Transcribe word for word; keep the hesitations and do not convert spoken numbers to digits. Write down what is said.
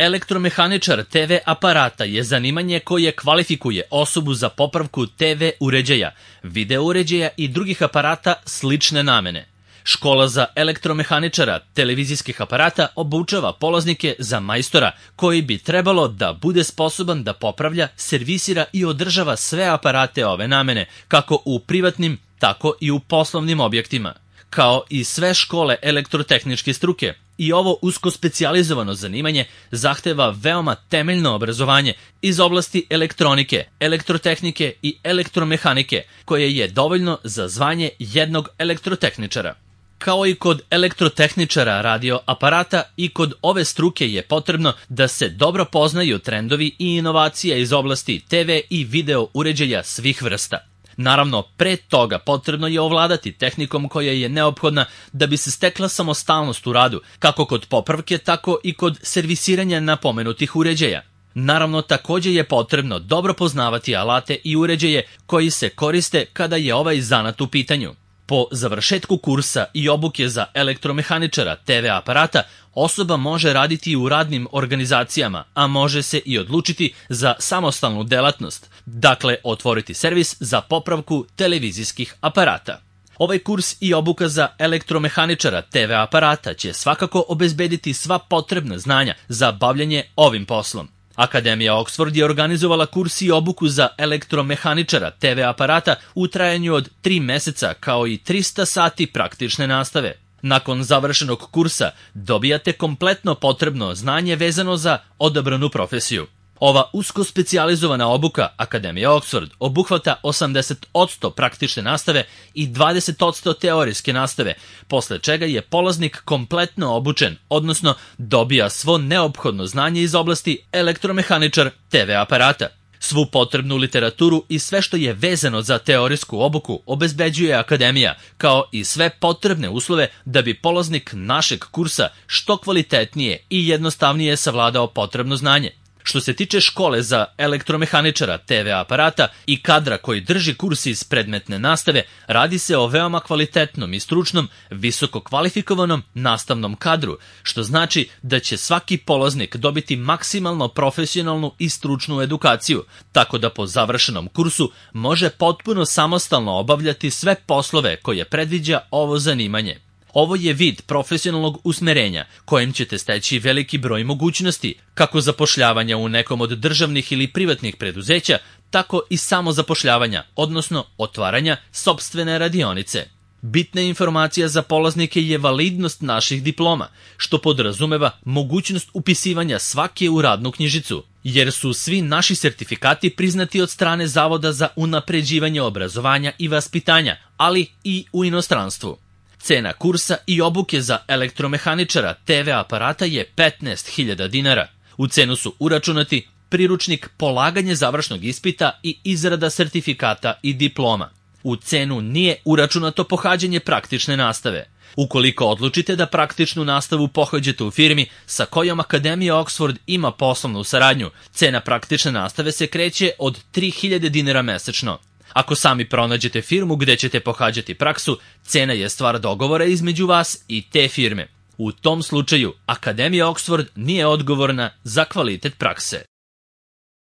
Elektromehaničar te ve aparata je zanimanje koje kvalifikuje osobu za popravku te ve uređaja, video uređaja i drugih aparata slične namene. Škola za elektromehaničara televizijskih aparata obučava polaznike za majstora koji bi trebalo da bude sposoban da popravlja, servisira i održava sve aparate ove namene, kako u privatnim, tako i u poslovnim objektima. Kao i sve škole elektrotehničke struke, i ovo usko specijalizovano zanimanje zahteva veoma temeljno obrazovanje iz oblasti elektronike, elektrotehnike i elektromehanike, koje je dovoljno za zvanje jednog elektrotehničara. Kao i kod elektrotehničara radio aparata, i kod ove struke je potrebno da se dobro poznaju trendovi i inovacije iz oblasti te ve i video uređaja svih vrsta. Naravno, pre toga potrebno je ovladati tehnikom koja je neophodna da bi se stekla samostalnost u radu, kako kod popravke, tako i kod servisiranja napomenutih uređaja. Naravno, takođe je potrebno dobro poznavati alate i uređaje koji se koriste kada je ovaj zanat u pitanju. Po završetku kursa i obuke za elektromehaničara te ve aparata, osoba može raditi u radnim organizacijama, a može se i odlučiti za samostalnu delatnost, dakle otvoriti servis za popravku televizijskih aparata. Ovaj kurs i obuka za elektromehaničara te ve aparata će svakako obezbediti sva potrebna znanja za bavljanje ovim poslom. Akademija Oxford je organizovala kurs i obuku za elektromehaničara te ve aparata u trajanju od tri meseca, kao i trista sati praktične nastave. Nakon završenog kursa dobijate kompletno potrebno znanje vezano za odabranu profesiju. Ova usko specijalizovana obuka Akademije Oxford obuhvata osamdeset posto praktične nastave i dvadeset posto teorijske nastave, posle čega je polaznik kompletno obučen, odnosno dobija svo neophodno znanje iz oblasti elektromehaničar te ve aparata. Svu potrebnu literaturu i sve što je vezano za teorijsku obuku obezbeđuje Akademija, kao i sve potrebne uslove da bi polaznik našeg kursa što kvalitetnije i jednostavnije savladao potrebno znanje. Što se tiče škole za elektromehaničara te ve aparata i kadra koji drži kurs iz predmetne nastave, radi se o veoma kvalitetnom i stručnom, visoko kvalifikovanom nastavnom kadru, što znači da će svaki polaznik dobiti maksimalno profesionalnu i stručnu edukaciju, tako da po završenom kursu može potpuno samostalno obavljati sve poslove koje predviđa ovo zanimanje. Ovo je vid profesionalnog usmerenja kojim ćete steći veliki broj mogućnosti, kako zapošljavanja u nekom od državnih ili privatnih preduzeća, tako i samozapošljavanja, odnosno otvaranja sopstvene radionice. Bitna informacija za polaznike je validnost naših diploma, što podrazumeva mogućnost upisivanja svake u radnu knjižicu, jer su svi naši sertifikati priznati od strane Zavoda za unapređivanje obrazovanja i vaspitanja, ali i u inostranstvu. Cena kursa i obuke za elektromehaničara te ve aparata je petnaest hiljada dinara. U cenu su uračunati priručnik, polaganje završnog ispita i izrada sertifikata i diploma. U cenu nije uračunato pohađanje praktične nastave. Ukoliko odlučite da praktičnu nastavu pohađate u firmi sa kojom Akademija Oxford ima poslovnu saradnju, cena praktične nastave se kreće od tri hiljade dinara mesečno. Ako sami pronađete firmu gde ćete pohađati praksu, cena je stvar dogovora između vas i te firme. U tom slučaju, Akademija Oxford nije odgovorna za kvalitet prakse.